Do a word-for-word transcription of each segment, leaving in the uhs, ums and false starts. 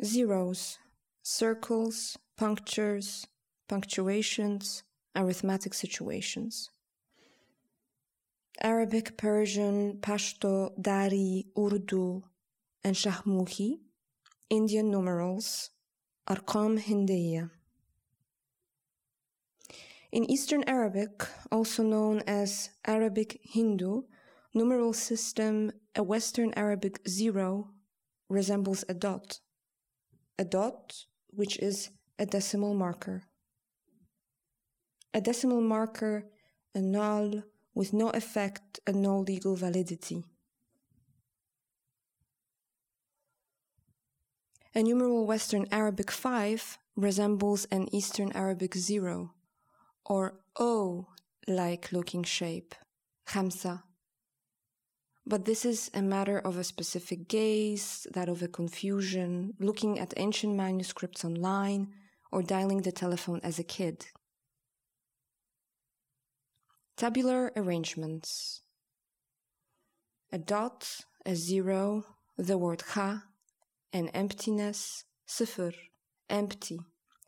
Zeros, circles, punctures, punctuations, arithmetic situations. Arabic, Persian, Pashto, Dari, Urdu, and Shahmuhi, Indian numerals, Arqam Hindiya. In Eastern Arabic, also known as Arabic Hindu, numeral system, a Western Arabic zero resembles a dot. A dot, which is a decimal marker. A decimal marker, a null, with no effect and no legal validity. A numeral Western Arabic five resembles an Eastern Arabic zero, or O-like looking shape, khamsa. But this is a matter of a specific gaze, that of a confusion, looking at ancient manuscripts online, or dialing the telephone as a kid. Tabular arrangements. A dot, a zero, the word kha, an emptiness, sifr, empty,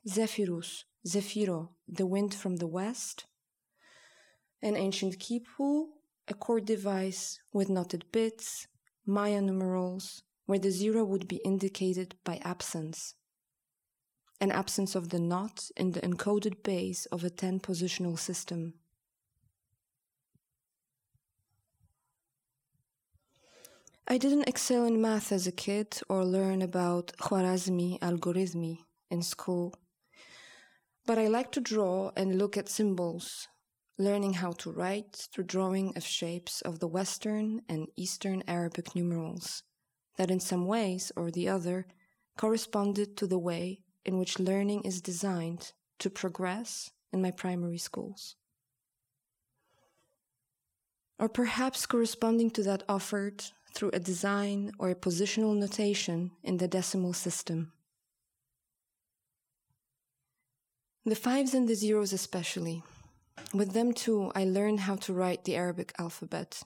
zephyrus, zephyro, the wind from the west, an ancient kipu, a chord device with knotted bits, Maya numerals, where the zero would be indicated by absence, an absence of the knot in the encoded base of a ten-positional system. I didn't excel in math as a kid or learn about Khwarazmi algorithmi in school, but I like to draw and look at symbols, learning how to write through drawing of shapes of the Western and Eastern Arabic numerals that in some ways or the other corresponded to the way in which learning is designed to progress in my primary schools. Or perhaps corresponding to that offered through a design or a positional notation in the decimal system. The fives and the zeros especially. With them too, I learned how to write the Arabic alphabet.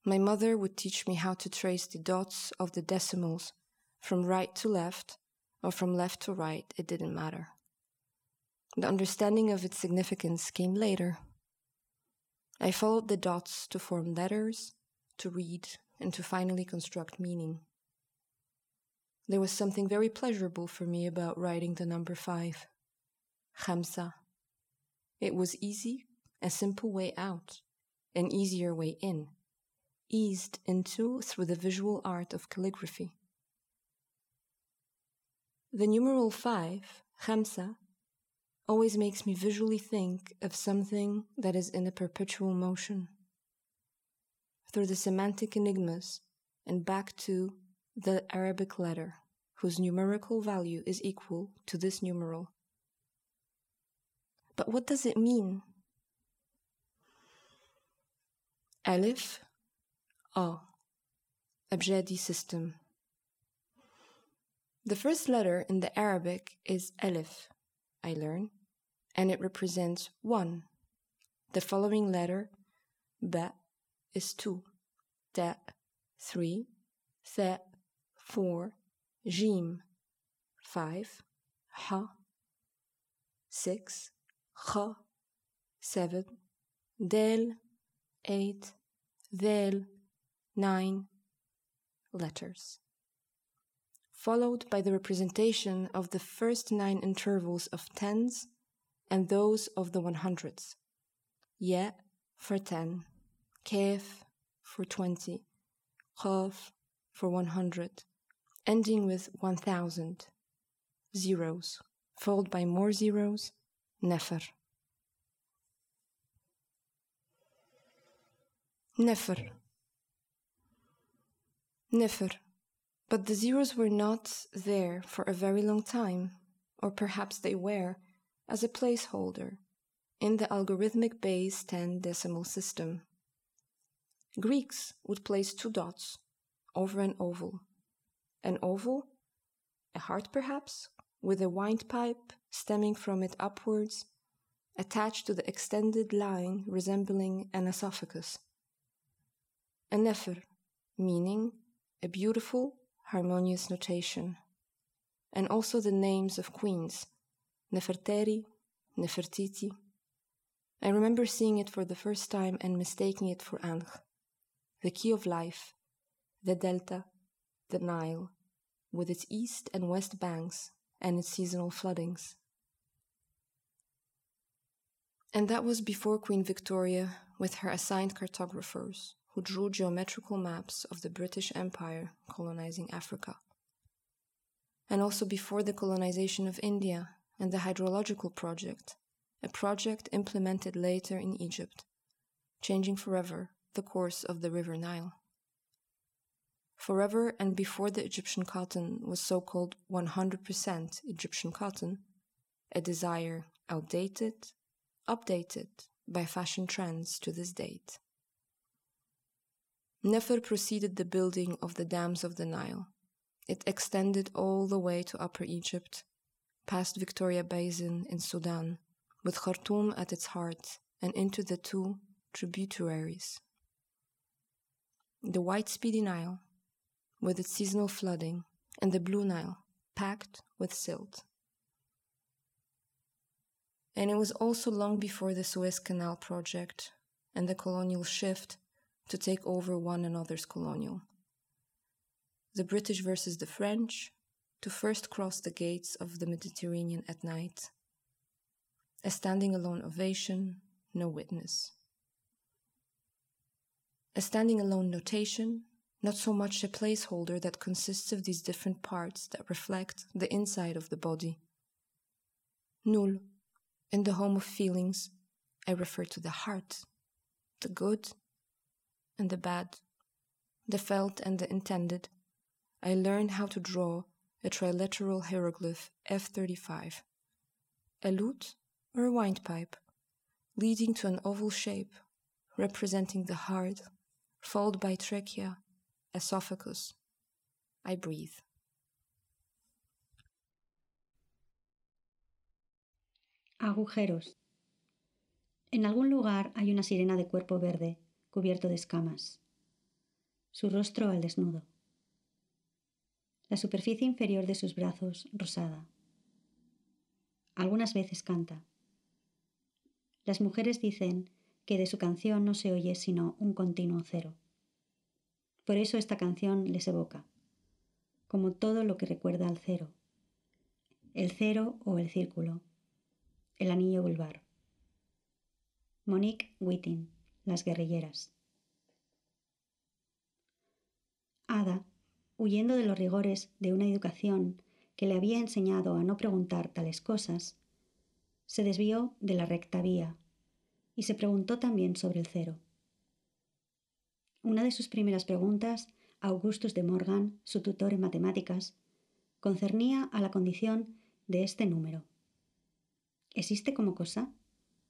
My mother would teach me how to trace the dots of the decimals from right to left or from left to right, it didn't matter. The understanding of its significance came later. I followed the dots to form letters, to read, and to finally construct meaning. There was something very pleasurable for me about writing the number five, khamsa. It was easy, a simple way out, an easier way in, eased into through the visual art of calligraphy. The numeral five, khamsa, always makes me visually think of something that is in a perpetual motion, through the semantic enigmas and back to the Arabic letter, whose numerical value is equal to this numeral. But what does it mean? Alif, A, Abjadi system. The first letter in the Arabic is Alif, I learn, and it represents one. The following letter, Ba, is two, Ta, three, Tha, four, Jim, five, Ha, six, Kha, seven, Del, eight, Dhel, nine letters, followed by the representation of the first nine intervals of tens and those of the one hundreds. Ya for ten, Kaf for twenty, Qaf for one hundred, ending with one thousand, zeros, followed by more zeros, Nafar. Nafar. Nafar. But the zeros were not there for a very long time, or perhaps they were, as a placeholder, in the algorithmic base ten decimal system. Greeks would place two dots over an oval. An oval, a heart perhaps, with a windpipe stemming from it upwards, attached to the extended line resembling an esophagus. A nefr, meaning a beautiful, harmonious notation. and also the names of queens, Neferteri, Nefertiti. I remember seeing it for the first time and mistaking it for Ankh, the key of life, the delta, the Nile, with its east and west banks and its seasonal floodings. And that was before Queen Victoria, with her assigned cartographers, who drew geometrical maps of the British Empire colonizing Africa. And also before the colonization of India and the hydrological project, a project implemented later in Egypt, changing forever the course of the River Nile. Forever and before the Egyptian cotton was so-called one hundred percent Egyptian cotton, a desire outdated, updated by fashion trends to this date. Nefer preceded the building of the dams of the Nile. It extended all the way to Upper Egypt, past Victoria Basin in Sudan, with Khartoum at its heart, and into the two tributaries. The White Speedy Nile, with its seasonal flooding, and the Blue Nile, packed with silt. And it was also long before the Suez Canal project and the colonial shift to take over one another's colonial. The British versus the French, to first cross the gates of the Mediterranean at night. A standing alone ovation, no witness. A standing alone notation, not so much a placeholder that consists of these different parts that reflect the inside of the body. Nul, in the home of feelings, I refer to the heart, the good and the bad, the felt and the intended. I learned how to draw a trilateral hieroglyph F thirty-five, a lute or a windpipe, leading to an oval shape representing the heart, followed by trachea, esophagus. I breathe. Agujeros. En algún lugar hay una sirena de cuerpo verde, cubierto de escamas. Su rostro al desnudo. La superficie inferior de sus brazos rosada. Algunas veces canta. Las mujeres dicen que de su canción no se oye sino un continuo cero. Por eso esta canción les evoca, como todo lo que recuerda al cero. El cero o el círculo. El anillo vulvar. Monique Wittin, Las guerrilleras. Ada, huyendo de los rigores de una educación que le había enseñado a no preguntar tales cosas, se desvió de la recta vía y se preguntó también sobre el cero. Una de sus primeras preguntas a Augustus de Morgan, su tutor en matemáticas, concernía a la condición de este número. ¿Existe como cosa?,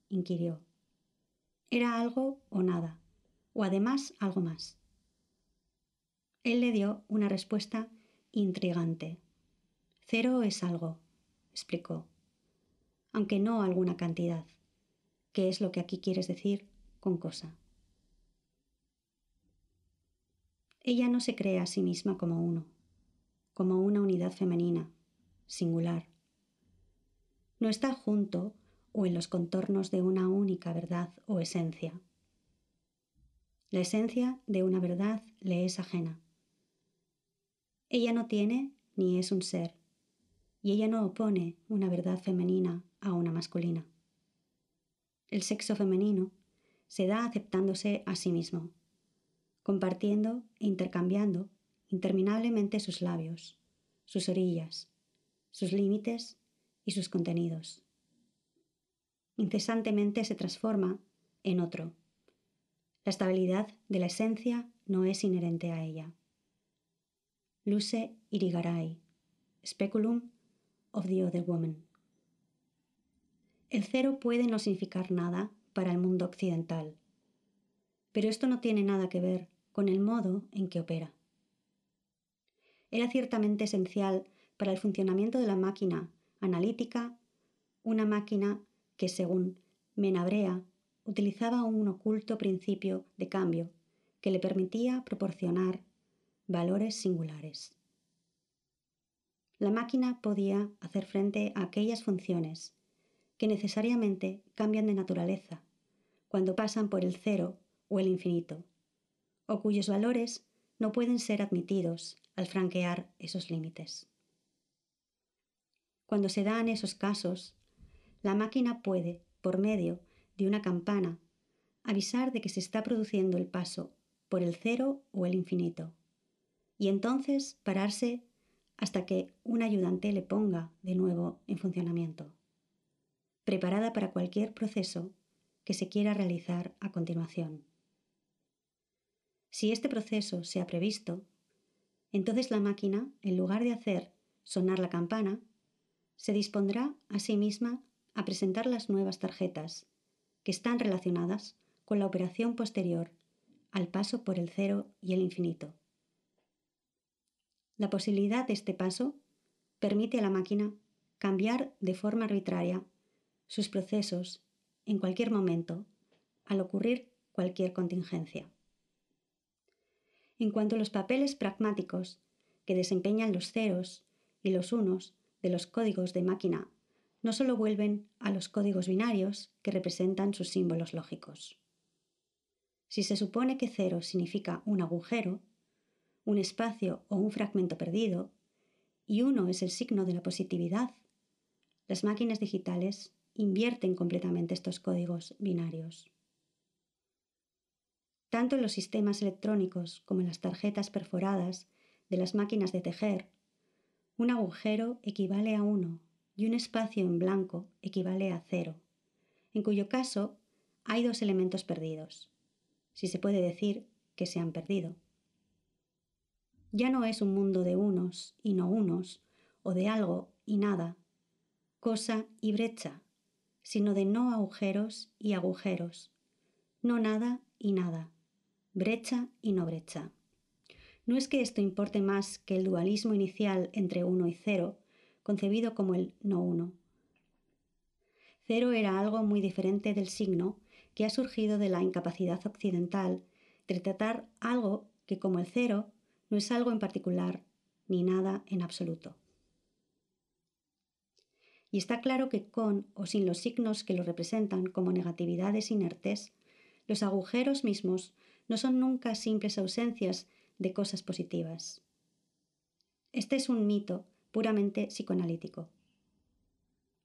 inquirió. ¿Era algo o nada, o además algo más? Él le dio una respuesta intrigante. Cero es algo, explicó, aunque no alguna cantidad, que es lo que aquí quieres decir con cosa. Ella no se cree a sí misma como uno, como una unidad femenina, singular. No está junto o en los contornos de una única verdad o esencia. La esencia de una verdad le es ajena. Ella no tiene ni es un ser, y ella no opone una verdad femenina a una masculina. El sexo femenino se da aceptándose a sí mismo, compartiendo e intercambiando interminablemente sus labios, sus orillas, sus límites y sus contenidos. Incesantemente se transforma en otro. La estabilidad de la esencia no es inherente a ella. Luce Irigaray, Speculum of the Other Woman. El cero puede no significar nada para el mundo occidental, pero esto no tiene nada que ver con el modo en que opera. Era ciertamente esencial para el funcionamiento de la máquina analítica, una máquina que, según Menabrea, utilizaba un oculto principio de cambio que le permitía proporcionar valores singulares. la máquina podía hacer frente a aquellas funciones que necesariamente cambian de naturaleza cuando pasan por el cero o el infinito, o cuyos valores no pueden ser admitidos al franquear esos límites. Cuando se dan esos casos, la máquina puede, por medio de una campana, avisar de que se está produciendo el paso por el cero o el infinito, y entonces pararse hasta que un ayudante le ponga de nuevo en funcionamiento, preparada para cualquier proceso que se quiera realizar a continuación. Si este proceso se ha previsto, entonces la máquina, en lugar de hacer sonar la campana, se dispondrá a sí misma a presentar las nuevas tarjetas que están relacionadas con la operación posterior al paso por el cero y el infinito. La posibilidad de este paso permite a la máquina cambiar de forma arbitraria sus procesos en cualquier momento al ocurrir cualquier contingencia. En cuanto a los papeles pragmáticos que desempeñan los ceros y los unos de los códigos de máquina, no solo vuelven a los códigos binarios que representan sus símbolos lógicos. Si se supone que cero significa un agujero, un espacio o un fragmento perdido, y uno es el signo de la positividad, las máquinas digitales invierten completamente estos códigos binarios. Tanto en los sistemas electrónicos como en las tarjetas perforadas de las máquinas de tejer, un agujero equivale a uno y un espacio en blanco equivale a cero, en cuyo caso hay dos elementos perdidos, si se puede decir que se han perdido. Ya no es un mundo de unos y no unos, o de algo y nada, cosa y brecha, sino de no agujeros y agujeros, no nada y nada, brecha y no brecha. No es que esto importe más que el dualismo inicial entre uno y cero, concebido como el no uno. Cero era algo muy diferente del signo que ha surgido de la incapacidad occidental de tratar algo que, como el cero, no es algo en particular ni nada en absoluto. Y está claro que con o sin los signos que lo representan como negatividades inertes, los agujeros mismos no son nunca simples ausencias de cosas positivas. Este es un mito puramente psicoanalítico.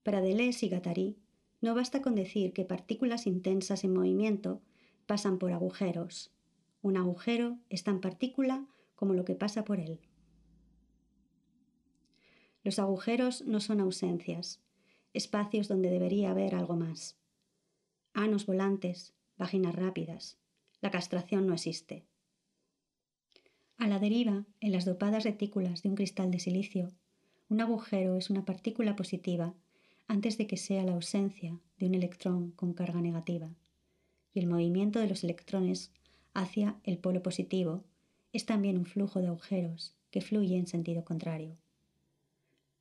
Para Deleuze y Guattari, no basta con decir que partículas intensas en movimiento pasan por agujeros. Un agujero es tan partícula como lo que pasa por él. Los agujeros no son ausencias, espacios donde debería haber algo más. Anos volantes, vaginas rápidas. La castración no existe. A la deriva, en las dopadas retículas de un cristal de silicio, un agujero es una partícula positiva antes de que sea la ausencia de un electrón con carga negativa, y el movimiento de los electrones hacia el polo positivo es también un flujo de agujeros que fluye en sentido contrario.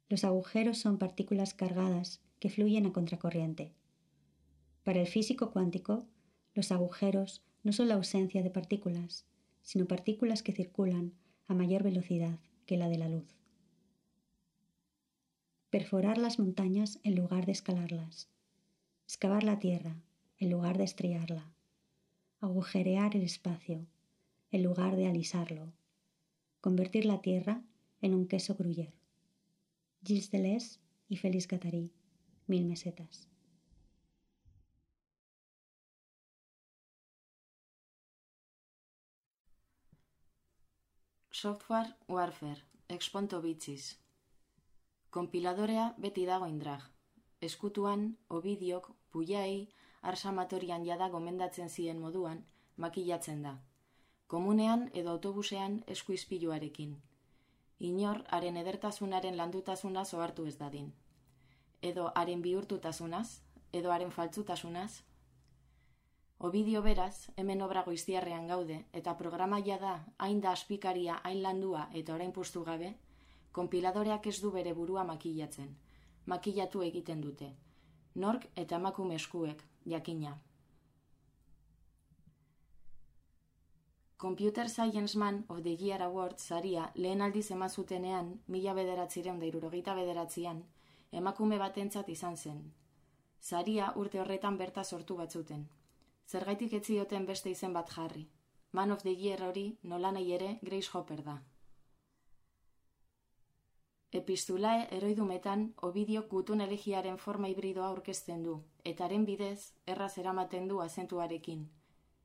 Los agujeros son partículas cargadas que fluyen a contracorriente. Para el físico cuántico, los agujeros no son la ausencia de partículas, sino partículas que circulan a mayor velocidad que la de la luz. Perforar las montañas en lugar de escalarlas, excavar la tierra en lugar de estrellarla, agujerear el espacio en lugar de alisarlo, convertir la tierra en un queso gruyère. Gilles Deleuze y Félix Guattari, Mil mesetas. Software warfare, exponto bitxiz. Konpiladorea beti dago indrag. Eskutuan, Ovidiok, Pullai, Arsamatorian jada gomendatzen zien moduan, makillatzen da. Komunean edo autobusean esku ispiluarekin. Inor, haren edertasunaren landutasunaz ohartu ez dadin. Edo haren bihurtutasunaz, edo haren faltzutasunaz. Ovidio beraz, hemen obra goiztiarrean gaude, eta programaia da hain da aspikaria, hain landua eta orain puztu gabe, konpiladoreak ez du bere burua makillatzen. Makillatu egiten dute. Nork eta emakume eskuek, jakina. Computer Science Man of the Year Award saria lehen aldiz eman zutenean, mila bederatzireun da hirurogeita bederatzian, emakume batentzat izan zen. Saria urte horretan berta sortu batzuten. Zergaitik ez zioten beste izen bat jarri. Man of the Year hori nolanahi ere Grace Hopper da. Epistulae eroidumetan Ovidiok gutun elegiaren forma hibridoa aurkezten du, eta haren bidez erraz eramaten du azentuarekin.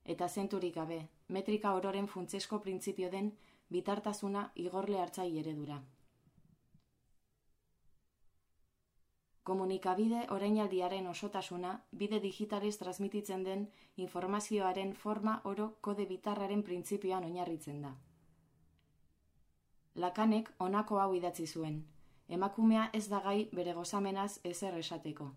Eta azenturik gabe, metrika ororen funtsesko printzipio den bitartasuna igorle hartzai eredura. Komunikabide orainaldiaren osotasuna bide digitaliz transmititzen den informazioaren forma oro kode bitarraren printzipioan oinarritzen da. Lakanek honako hau idatzi zuen, emakumea ez da gai bere gozamenaz ezer esateko.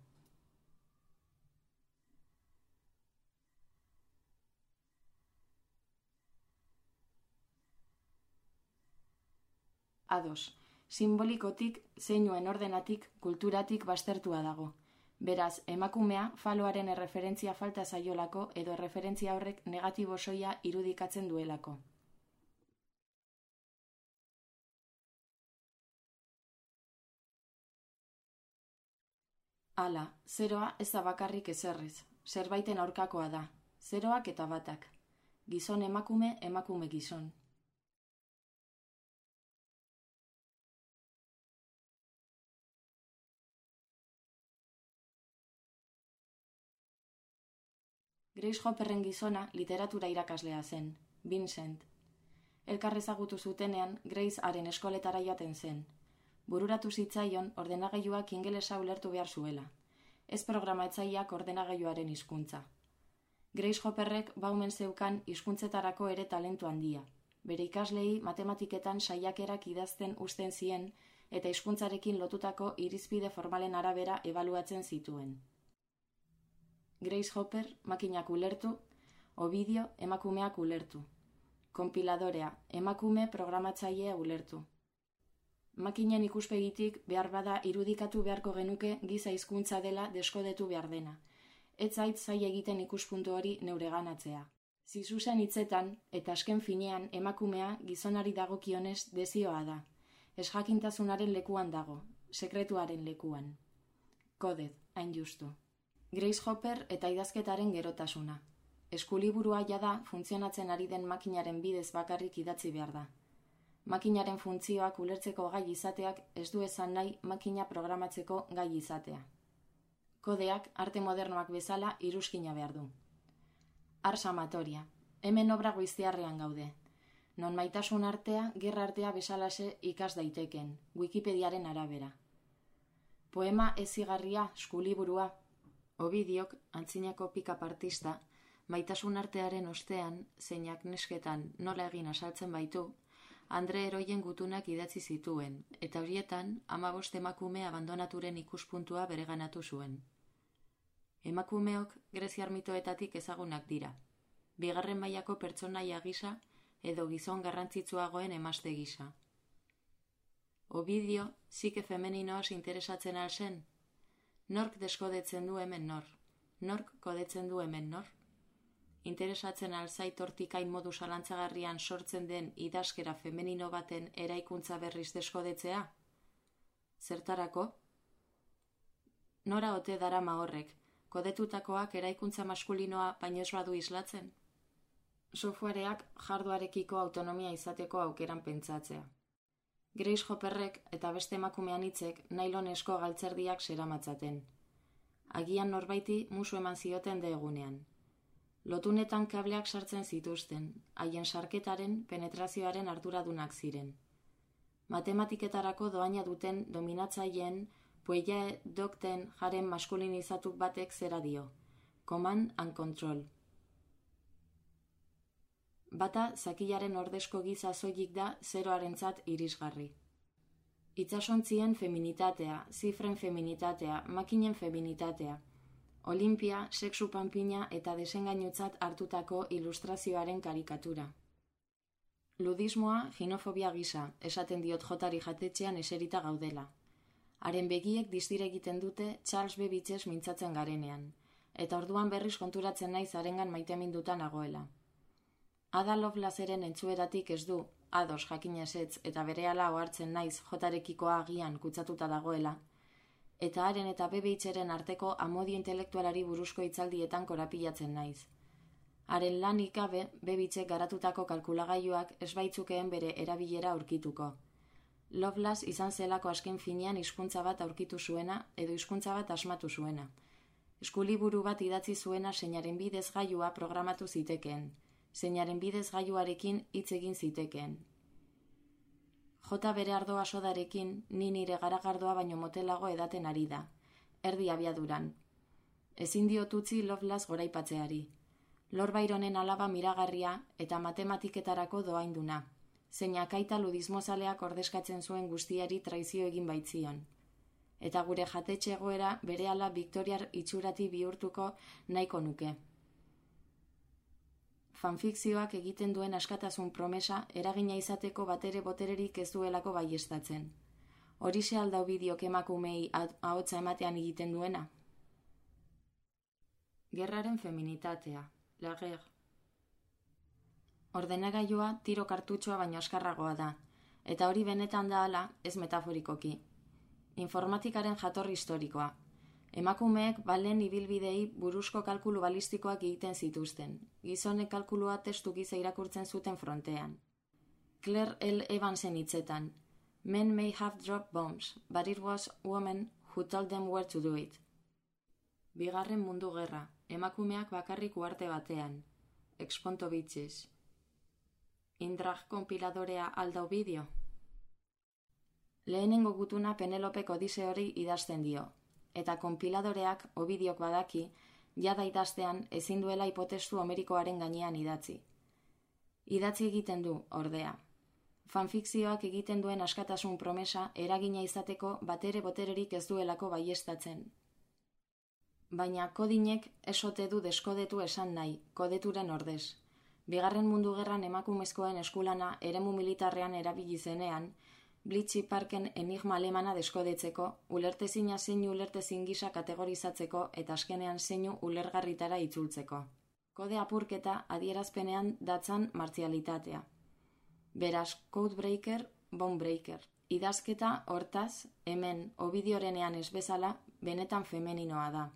Ados, simbolikotik, zeinuen ordenatik, kulturatik baztertua dago. Beraz, emakumea faloaren erreferentzia falta zaiolako edo erreferentzia horrek negatibo soia irudikatzen duelako. Hala, zeroa ez da bakarrik ezerrez, zerbaiten aurkakoa da, zeroak eta batak. Gizon emakume, emakume gizon. Grace Hopperren gizona literatura irakaslea zen, Vincent. Elkar ezagutu zutenean Grace haren eskoletara joaten zen. Bururatu zitzaion ordenagailuak ingelesa ulertu behar zuela. Ez programatzaileak ordenagailuaren hizkuntza. Grace Hopperrek baumen zeukan hizkuntzetarako ere talentu handia. Bere ikaslei matematiketan saiakerak idazten uzten zien eta hizkuntzarekin lotutako irizpide formalen arabera ebaluatzen zituen. Grace Hopper makinak ulertu, Ovidio emakumeak ulertu. Konpiladorea, emakume programatzailea ulertu. Makinen ikuspegitik behar bada irudikatu beharko genuke giza hizkuntza dela deskodetu behar dena. Ez zait zaila egiten ikuspuntu hori neureganatzea. Zizuzen hitzetan eta asken finean emakumea gizonari dagokionez dezioa da. Ez jakintasunaren lekuan dago, sekretuaren lekuan. Kodez, hain justu. Grace Hopper eta idazketaren gerotasuna. Eskuliburua jada funtzionatzen ari den makinaren bidez bakarrik idatzi behar da. Makinaren funtzioak ulertzeko gai izateak ez du esan nahi makina programatzeko gai izatea. Kodeak arte modernoak bezala iruzkina behar du. Ars amatoria. Hemen obra goiztiarrean gaude. Non maitasun artea, gerra artea bezalase ikas daiteken, Wikipediaren arabera. Poema ezigarria, eskuliburua. Ovidiok, antzinako pick-up artista, maitasun artearen ostean, zeinak nesketan nola egin asaltzen baitu, Andre Heroien gutunak idatzi zituen, eta horietan hamabost emakume abandonaturen ikuspuntua bereganatu zuen. Emakumeok greziar mitoetatik ezagunak dira, bigarren mailako pertsonaia gisa edo gizon garrantzitsuagoen emazte gisa. Ovidio, psike femeninoaz interesatzen al zen? Nork deskodetzen du hemen nor? Nork kodetzen du hemen nor? Interesatzen alzait hortikain modu zalantzagarrian sortzen den idazkera femenino baten eraikuntza berriz deskodetzea? Zertarako? Nora ote darama horrek, kodetutakoak eraikuntza maskulinoa baino ez badu islatzen? Softwareak jarduarekiko autonomia izateko aukeran pentsatzea. Grace Hopperrek eta beste emakumean hitzek nailonesko galtzerdiak zeramatzaten. Agian norbaiti musu eman zioten de egunean. Lotunetan kableak sartzen zituzten, haien sarketaren penetrazioaren arduradunak ziren. Matematiketarako doaina duten dominatzaileen puelle dokten jaren maskulinizatu batek zera dio. Command and control. Bata zakilaren ordezko giza soilik da zeroarentzat irisgarri. Itsasontzien feminitatea, zifren feminitatea, makinen feminitatea. Olimpia, sexu panpina eta desengainutzat hartutako ilustrazioaren karikatura. Ludismoa ginofobia gisa, esaten diot jotari jatetxean eserita gaudela. Haren begiek distire egiten dute Charles Babbage mintzatzen garenean, eta orduan berriz konturatzen naiz harengan maiteminduta nagoela. Ada Lovelaceren entzueratik ez du, ados jakin ezetz eta berehala ohartzen naiz jotarekikoa agian kutsatuta dagoela, eta haren eta Bebitzeren arteko amodio intelektualari buruzko hitzaldietan korapilatzen naiz. Haren lanik gabe Bebitzek garatutako kalkulagailuak ez baitzukeen bere erabilera aurkituko. Lovelace izan zelako azken finean hizkuntza bat aurkitu zuena edo hizkuntza bat asmatu zuena. Eskuliburu bat idatzi zuena zeinaren bidez gailua programatu zitekeen, zeinaren bidez gailuarekin hitz egin zitekeen. Jota bere ardoa sodarekin, ni nire garagardoa baino motelago edaten ari da, erdi abiaduran. Ezin diot utzi Lovelace goraipatzeari. Lord Byronen alaba miragarria eta matematiketarako doainduna, zeinak aita ludismozaleak ordezkatzen zuen guztiari traizio egin baitzion. Eta gure jatetxe egoera berehala Victoriar itxurati bihurtuko nahiko nuke. Fanfikzioak egiten duen askatasun promesa eragina izateko batere botererik ez duelako baiestatzen. Horixe aldau bideok emakumei ahotsa ematean egiten duena? Gerraren feminitatea, la guerre. Ordenagailua tiro kartutxoa baino askarragoa da, eta hori benetan da hala ez metaforikoki. Informatikaren jatorri historikoa. Emakumeek balen ibilbidei buruzko kalkulu balistikoak egiten zituzten. Gizonek kalkulua testu giza irakurtzen zuten frontean. Claire L. Evansen hitzetan. Men may have dropped bombs, but it was women who told them where to do it. Bigarren mundu gerra. Emakumeak bakarrik uarte batean. Exponto bitches. Indrag konpiladorea aldau bideo. Lehenengo gutuna Penelopek Odise hori idazten dio. Eta konpiladoreak Ovidiok badaki, jada idaztean ezin duela hipotestu homerikoaren gainean idatzi. Idatzi egiten du, ordea. Fanfikzioak egiten duen askatasun promesa eragina izateko batere botererik ez duelako baiestatzen. Baina kodinek esote du deskodetu esan nahi, kodeturen ordez. Bigarren mundu gerran emakumezkoen eskulana eremu militarrean erabili zenean, Bletchley Parken enigma alemana deskodetzeko, ulertezina zeinu ulertezin gisa kategorizatzeko eta azkenean zeinu ulergarritara itzultzeko. Kode apurketa adierazpenean datzan martzialitatea. Beraz, codebreaker, bonebreaker. Idazketa, hortaz, hemen Ovidiorenean ez bezala, benetan femeninoa da.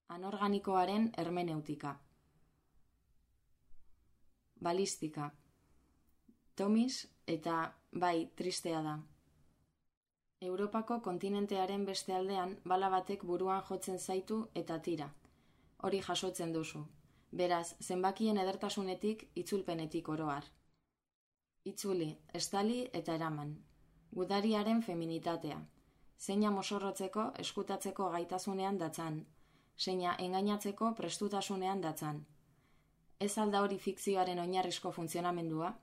Anorganikoaren hermeneutika. Balistika. Tomis eta bai, tristea da. Europako kontinentearen beste aldean bala batek buruan jotzen zaitu eta tira. Hori jasotzen duzu. Beraz, zenbakien edertasunetik, itzulpenetik oroar. Itzuli, estali eta eraman. Gudariaren feminitatea. Zeina mosorrotzeko, eskutatzeko gaitasunean datzan. Zeina engainatzeko prestutasunean datzan. Ez alda hori fikzioaren oinarrizko funtzionamendua?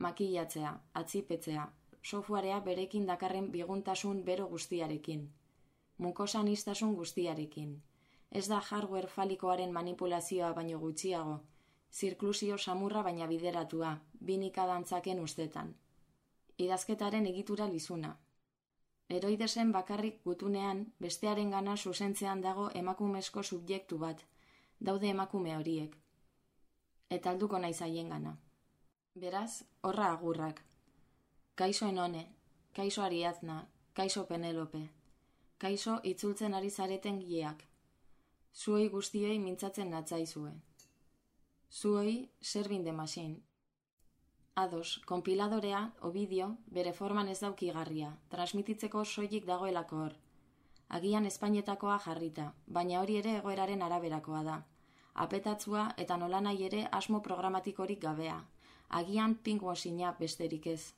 Makillatzea, atzipetzea, softwarea berekin dakarren biguntasun bero guztiarekin. Mukosaniztasun guztiarekin. Ez da hardware falikoaren manipulazioa baino gutxiago, zirklusio samurra baina bideratua, binika dantzaken ustetan. Idazketaren egitura lizuna. Eroidesen bakarrik gutunean, bestearen gana zuzentzean dago emakumezko subjektu bat, daude emakume horiek. Eta alduko naiz haien gana. Beraz, horra agurrak. Kaixo Enone, kaixo Ariadna, kaixo Penelope, kaixo itzultzen ari zareten gileak. Zuei guztiei mintzatzen natzaizue. Zuei Serving the Machine. Ados, konpiladorea, Ovidio, bere forman ez daukigarria, transmititzeko soilik dagoelako hor. Agian Espainetakoa jarrita, baina hori ere egoeraren araberakoa da. Apetatzua eta nolanahi ere asmo programatikorik gabea. Agian pinkwashing-a besterik ez.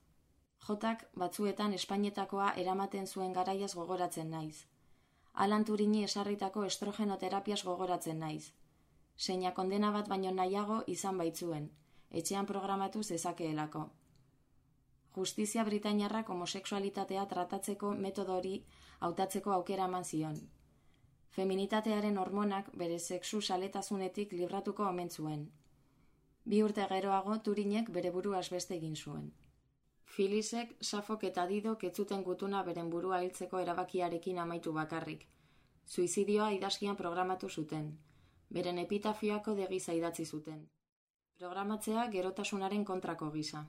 Jotak batzuetan Espainetakoa eramaten zuen garaiaz gogoratzen naiz. Alan Turini esarritako estrogenoterapiaz gogoratzen naiz. Zeina kondena bat baino nahiago izan baitzuen, etxean programatu zezakeelako. Justizia britainiarrak homosexualitatea tratatzeko metodo hori hautatzeko aukera eman zion. Feminitatearen hormonak bere sexu saletasunetik libratuko omen zuen. Bi urte geroago Turinek bere buruaz beste egin zuen. Filisek, Safok eta Didok ez zuten gutuna beren burua hiltzeko erabakiarekin amaitu bakarrik. Suizidioa idazkian programatu zuten. Beren epitafioako degiza idatzi zuten. Programatzea gerotasunaren kontrako gisa.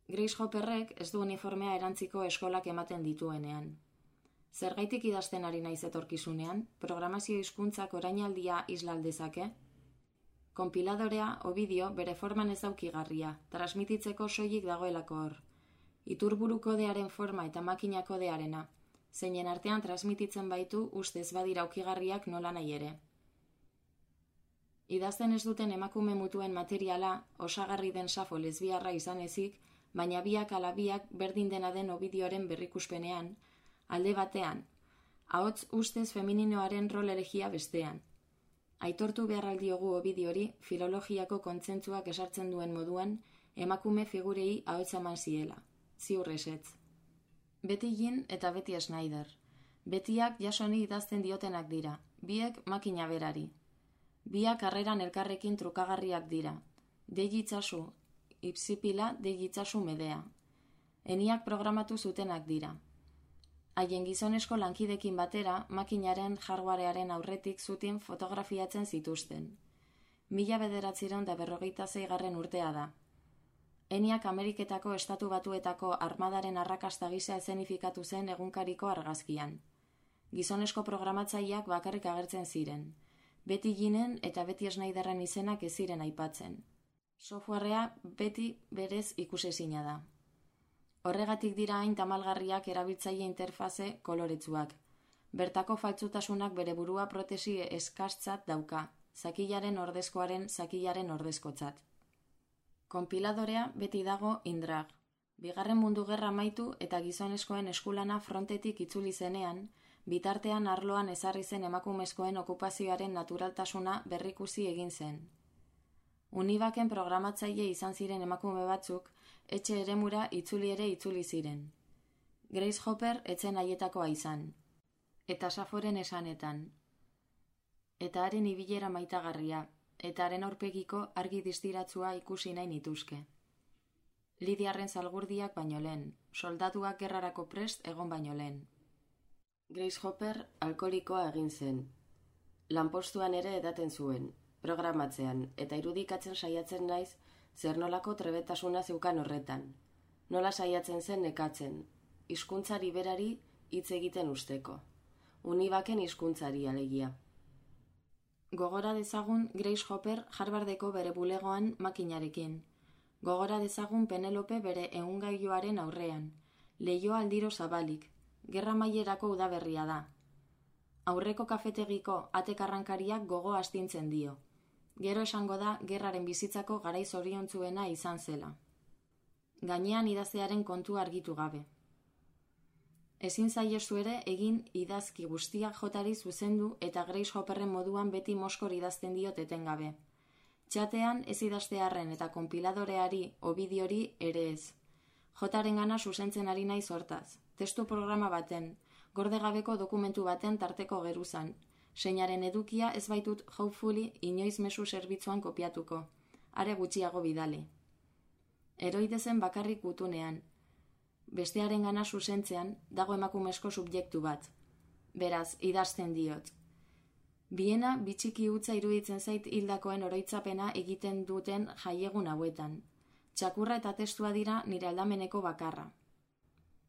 Grace Hopperrek ez du uniformea erantziko eskolak ematen dituenean. Zergaitik idazten ari naiz etorkizunean, programazio hizkuntzak orainaldia isla aldezake? Konpiladorea, Ovidio, bere forman ez daukigarria, transmititzeko soilik dagoelako hor. Iturburu kodearen forma eta makina kodearena, zeinen artean transmititzen baitu ustez badira aukigarriak nola nahi ere. Idazten ez duten emakume mutuen materiala, osagarri den Safo lesbiarra izan ezik, baina biak ala biak berdin dena den Ovidioren berrikuspenean, alde batean, ahots ustez femininoaren rol elegia bestean. Aitortu beharraldiogu Ovidiori filologiako kontzentzuak esartzen duen moduan, emakume figurei ahots eman ziela, ziur ezetz. Beti Jean eta Betty Schneider. Betiak jasoni idazten diotenak dira, biek makina berari. Biak karreran elkarrekin trukagarriak dira. Degitzazu, ipsipila degitzazu medea. Eniak programatu zutenak dira. Haien gizonesko lankidekin batera, makinaren hardwarearen aurretik zuten fotografiatzen zituzten. Mila bederatziehun da berrogeita zeigarren urtea da. Eniak Ameriketako Estatu Batuetako armadaren arrakasta gisa esenifikatu zen egunkariko argazkian. Gizonesko programatzaileak bakarrik agertzen ziren. Betty Jeanen eta Betty Schneiderren izenak ez ziren aipatzen. Softwarea Betty berez ikusezina da. Horregatik dira hain tamalgarriak erabiltzaile interfaze koloretsuak. Bertako faltsutasunak bere burua protesi eskartzat dauka, zakilaren ordezkoaren zakilaren ordezkotzat. Konpiladorea beti dago indrag. Bigarren mundu gerra amaitu eta gizonezkoen eskulana frontetik itzuli zenean, bitartean arloan ezarri zen emakumezkoen okupazioaren naturaltasuna berrikusi egin zen. Univaken programatzaile izan ziren emakume batzuk, etxe eremura itzuli ere itzuli ziren. Grace Hopper etzen haietakoa izan. Eta Saforen esanetan. Eta haren ibilera maitagarria, eta haren aurpegiko argi distiratzua ikusi nahi nituzke. Lidiarren zalgurdiak baino lehen, soldatuak gerrarako prest egon baino lehen. Grace Hopper alkoholikoa egin zen. Lanpostuan ere edaten zuen, programatzean, eta irudikatzen saiatzen naiz zer nolako trebetasuna zeukan horretan. Nola saiatzen zen nekatzen, hizkuntzari berari hitz egiten usteko. Univaken hizkuntzari alegia. Gogora dezagun Grace Hopper Harvardeko bere bulegoan makinarekin. Gogora dezagun Penelope bere ehungailuaren aurrean. Leihoa aldiro zabalik. Gerra amaierako udaberria da. Aurreko kafetegiko atekarrankariak gogo astintzen dio. Gero esango da gerraren bizitzako garai zoriontsuena izan zela. Gainean idaztearen kontu argitu gabe. Ezin zaiezu ere egin idazki guztiak jotari zuzendu eta Grace Hopperren moduan beti moskor idazten diot etengabe. Txatean ez idaztearren eta konpiladoreari, Ovidiori ere ez. Jotaren gana zuzentzen ari naiz hortaz. Testu programa baten, gordegabeko dokumentu baten tarteko geruzan. Seinaren edukia ez baitut hopefully inoiz mezu zerbitzuan kopiatuko. Are gutxiago bidali. Eroidezen bakarrik gutunean. Bestearen gana zuzentzean dago emakumezko subjektu bat. Beraz, idazten diot. Biena bitxiki hutsa iruditzen zait hildakoen oroitzapena egiten duten jaiegun hauetan. Txakurra eta testua dira nire aldameneko bakarra.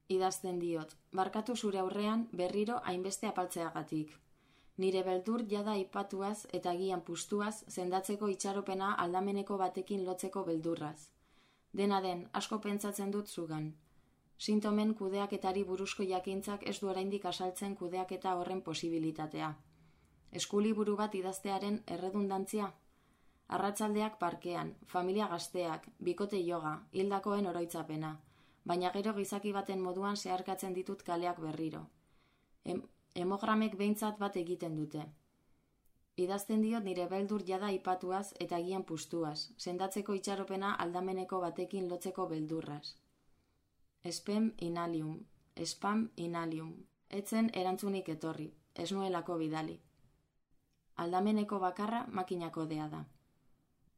Idazten diot, barkatu zure aurrean berriro hainbeste apaltzeagatik. Nire beldur jada aipatuaz eta agian pustuaz sendatzeko itxaropena aldameneko batekin lotzeko beldurraz. Dena den, asko pentsatzen dut zugan. Sintomen kudeaketari buruzko jakintzak ez du oraindik asaltzen kudeaketa horren posibilitatea. Eskuliburu bat idaztearen erredundantzia? Arratsaldeak parkean, familia gazteak, bikote yoga, hildakoen oroitzapena, baina gero gizaki baten moduan zeharkatzen ditut kaleak berriro. Em Hemogramek behintzat bat egiten dute. Idazten diot nire beldur jada aipatuaz eta agian pustuaz, sendatzeko itxaropena aldameneko batekin lotzeko beldurraz. Spam inalium, spam inalium. Etzen erantzunik etorri, ez nuelako bidali. Aldameneko bakarra makinako dea da.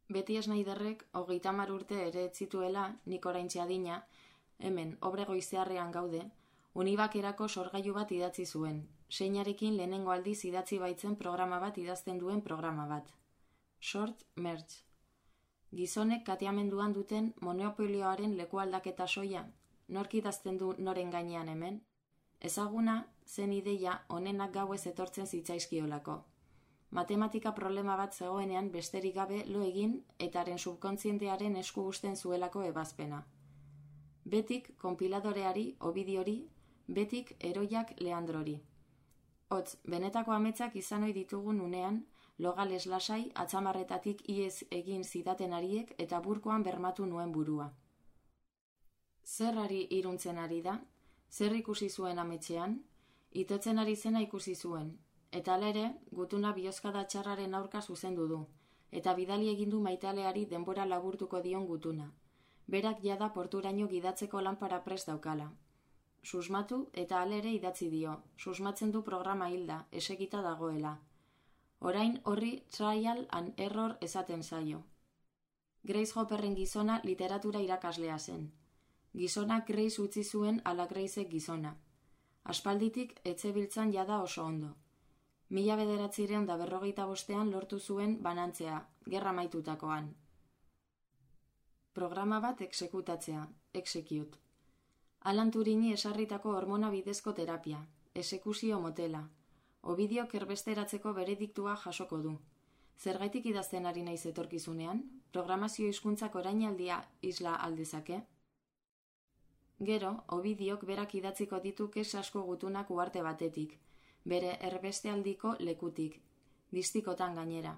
Betty Schneiderrek hogeita hamar urte ere ez zituela, nik oraintxe adina, hemen obregoizearrean gaude, Univakerako sorgailu bat idatzi zuen, seinarekin lehenengo aldiz idatzi baitzen programa bat idazten duen programa bat. Short Merge. Gizonek katiamenduan duten monopolioaren lekualdaketa soia, nork idazten du noren gainean hemen? Ezaguna zen ideia onenak gauez etortzen zitzaizkiolako. Matematika problema bat zegoenean besterik gabe lo egin eta haren subkontzientearen esku uzten zuelako ebazpena. Betik konpiladoreari, Ovidiori, betik Heroiak Leandrori. Hotz, benetako ametsak izan ohi ditugun unean, logales lasai atzamarretatik iez egin zidaten ariek eta burkoan bermatu nuen burua. Zer ari iruntzen ari da? Zer ikusi zuen ametxean? Itotzen ari zena ikusi zuen, eta hala ere, gutuna bihozkada txarraren aurka zuzendu du, eta bidali egindu maitaleari denbora laburtuko dion gutuna. Berak jada porturaino gidatzeko lanpara prest daukala. Susmatu eta hala ere idatzi dio, susmatzen du programa hilda, esegita dagoela. Orain horri trial and error esaten zaio. Grace Hopperren gizona literatura irakaslea zen. Gizonak Grace utzi zuen ala Gracek gizona. Aspalditik etzebiltzan jada oso ondo. Mila bederatzireun da berrogeita bostean lortu zuen banantzea, gerra maitutakoan. Programa bat exekutatzea, execute. Alan Turini esarritako hormona bidezko terapia, esekuzio motela. Ovidiok erbesteratzeko berediktua jasoko du. Zergaitik idazten ari naiz etorkizunean, programazio hizkuntzak orainaldia isla aldezake? Gero, Ovidiok berak idatziko ditu kes asko gutunak uharte batetik, bere erbestealdiko lekutik, distikotan gainera.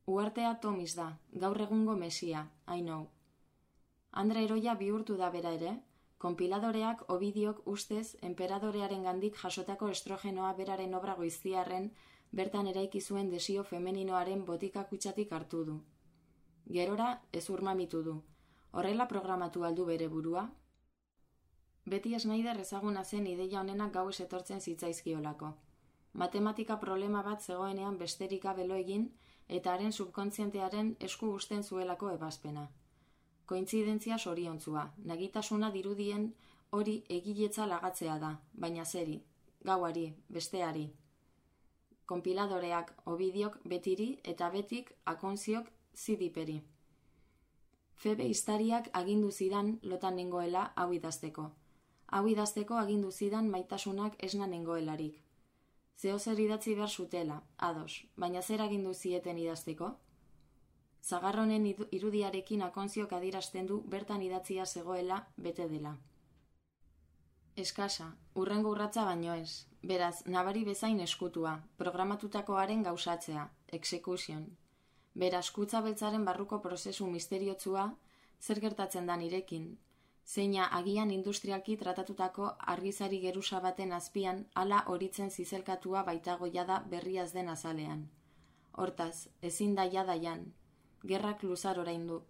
Uhartea Tomis da, gaur egungo Mesia, I know. Andre Heroia bihurtu da bera ere, konpiladoreak Ovidiok ustez enperadorearen gandik jasotako estrogenoa beraren obra goiztiarren bertan eraiki zuen desio femeninoaren botika kutsatik hartu du. Gerora ez urmamitu du. Horrela programatu aldu bere burua? Betty Schneider ezaguna zen ideia honenak gauez etortzen zitzaizkiolako. Matematika problema bat zegoenean besterik gabe lo egin eta haren subkontzientearen esku uzten zuelako ebazpena. Kointzidentzia soriontzua, nagitasuna dirudien hori egiletza lagatzea da, baina zeri, gauari, besteari. Konpiladoreak Ovidiok betiri eta betik akonziok zidiperi. Febe Iztariak agindu zidan lotan nengoela hau idazteko. Hau idazteko agindu zidan maitasunak esna nengoelarik. Zeo zer idatzi behar zutela, ados, baina zer agindu zieten idazteko? Zagarronen irudiarekin akonziok adierazten du bertan idatzia zegoela bete dela. Eskasa, urrengo urratza baino ez, beraz, nabari bezain eskutua, programatutakoaren gauzatzea, execution. Beraz, kutza beltzaren barruko prozesu misteriotsua, zer gertatzen da nirekin, zeina agian industrialki tratatutako argizari gerusa baten azpian hala horitzen zizelkatua baitago jada berriaz den azalean. Hortaz, ezin da jada jan, gerrak luzar orain du.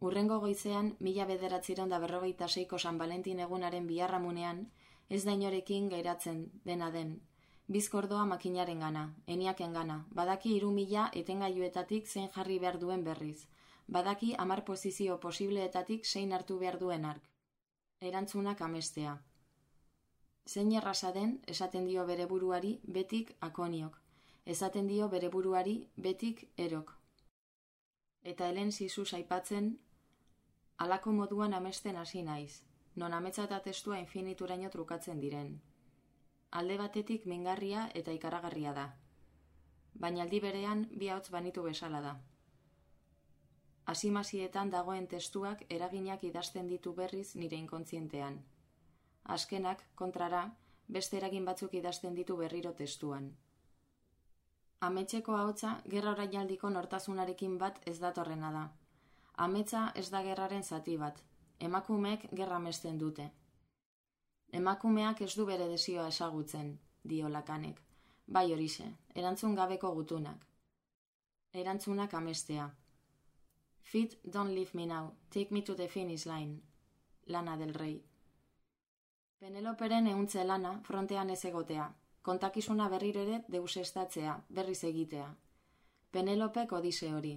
Urrengo goizean, mila bederatzireun da berrogeita seiko San Valentin egunaren biharramunean, ez da inorekin gairatzen dena den. Bizkordoa makinaren gana, eniaken gana, badaki hiru mila etengailuetatik zein jarri behar duen berriz, badaki hamar posizio posibleetatik zein hartu behar duen ark. Erantzunak amestea. Zein erraza den, esaten dio bere buruari betik akoniok, esaten dio bere buruari betik erok. Eta helen zizuz aipatzen, halako moduan amesten hasi naiz, non ametsa eta testua infinituraino trukatzen diren. Alde batetik mingarria eta ikaragarria da. Baina aldi berean bi ahots banitu bezala da. Asimazietan dagoen testuak eraginak idazten ditu berriz nire inkontzientean. Azkenak, kontrara, beste eragin batzuk idazten ditu berriro testuan. Ametxeko ahotsa gerra orainaldiko nortasunarekin bat ez datorrena da. Ametsa ez da gerraren zati bat. Emakumeek gerra amesten dute. Emakumeak ez du bere desioa ezagutzen, dio Lakanek. Bai horixe, erantzun gabeko gutunak. Erantzunak amestea. Fit, don't leave me now, take me to the finish line. Lana del Rey. Peneloperen ehuntze lana frontean ez egotea. Kontakizuna berriro ere deusestatzea, berriz egitea. Penelopek odise hori.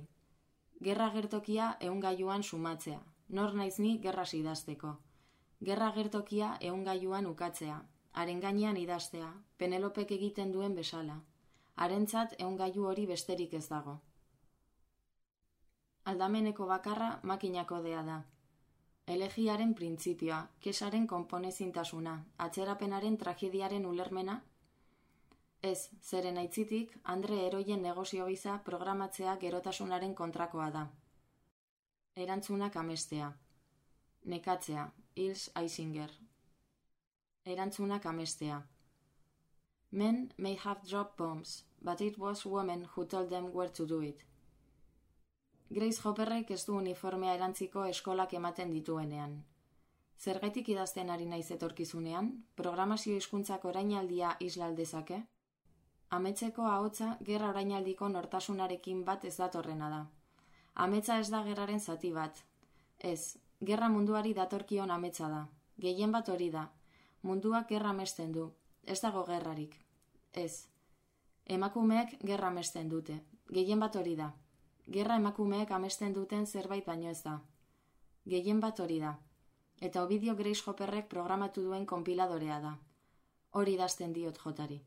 Gerra gertokia ehungailuan sumatzea. Nor naiz ni gerraz idazteko. Gerra gertokia ehungailuan ukatzea. Haren gainean idaztea. Penelopek egiten duen bezala. Harentzat ehungailu hori besterik ez dago. Aldameneko bakarra makinakodea da. Elegiaren printzipioa, kesaren konponezintasuna, atzerapenaren tragediaren ulermena? Ez, zeren aitzitik, Andre Heroien negozio gisa programatzea gerotasunaren kontrakoa da. Erantzunak amestea. Nekatzea, Hils Eisinger. Erantzunak amestea. Men may have dropped bombs, but it was women who told them where to do it. Grace Hopperrek ez du uniformea erantziko eskolak ematen dituenean. Zergatik idazten ari naiz etorkizunean, programazio hizkuntzak orainaldia isla aldezake? Ametzeko ahotsa gerra orainaldiko nortasunarekin bat ez datorrena da. Ametsa ez da gerraren zati bat. Ez, gerra munduari datorkion ametsa da. Gehien bat hori da. Munduak gerra amesten du. Ez dago gerrarik. Ez. Emakumeek gerra amesten dute. Gehien bat hori da. Gerra emakumeek amesten duten zerbait baino ez da. Gehien bat hori da. Eta Ovidio Grace Hopperrek programatu duen konpiladorea da. Hori idazten diot jotari.